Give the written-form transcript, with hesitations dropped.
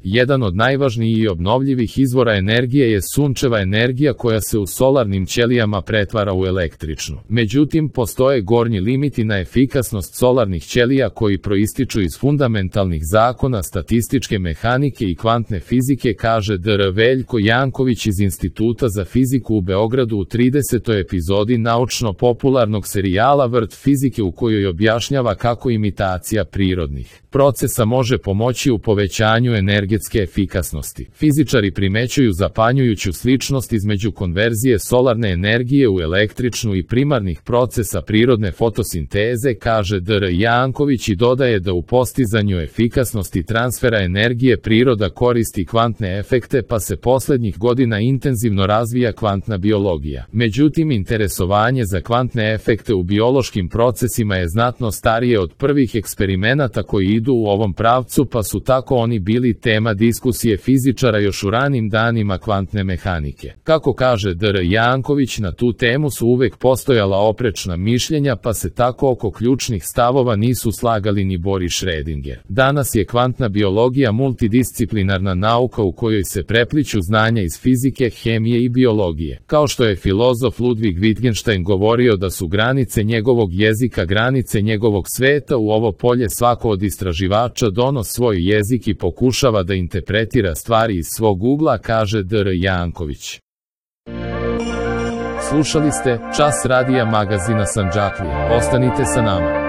Jedan od najvažnijih i obnovljivih izvora energije je sunčeva energija koja se u solarnim ćelijama pretvara u električnu. Međutim, postoje gornji limiti na efikasnost solarnih ćelija koji proističu iz fundamentalnih zakona statističke mehanike i kvantne fizike, kaže dr. Veljko Janković iz Instituta za fiziku u Beogradu u 30. epizodi naučno-popularnog serijala Vrt fizike, u kojoj objašnjava kako imitacija prirodnih procesa može pomoći u povećanju energetske efikasnosti. Fizičari primećuju zapanjujuću sličnost između konverzije solarne energije u električnu i primarnih procesa prirodne fotosinteze, kaže dr. Janković, i dodaje da u postizanju efikasnosti transfera energije priroda koristi kvantne efekte, pa se poslednjih godina intenzivno razvija kvantna biologija. Međutim, interesovanje za kvantne efekte u biološkim procesima je znatno starije od prvih eksperimenata koji idu u ovom pravcu, pa su tako oni bili tema diskusije fizičara još u ranim danima kvantne mehanike. Kako kaže dr. Janković, na tu temu su uvek postojala oprečna mišljenja, pa se tako oko ključnih stavova nisu slagali ni Boris Schrödinger. Danas je kvantna biologija multidisciplinarna nauka u kojoj se prepliću znanja iz fizike, hemije i biologije. Kao što je filozof Ludwig Wittgenstein govorio da su granice njegovog jezika granice njegovog sveta, u ovo polje svako od istraživača donos svoj jezik i pokušava da interpretira stvari iz svog ugla, kaže dr. Janković. Slušali ste Čas radija magazina Sandžaklija. Ostanite sa nama.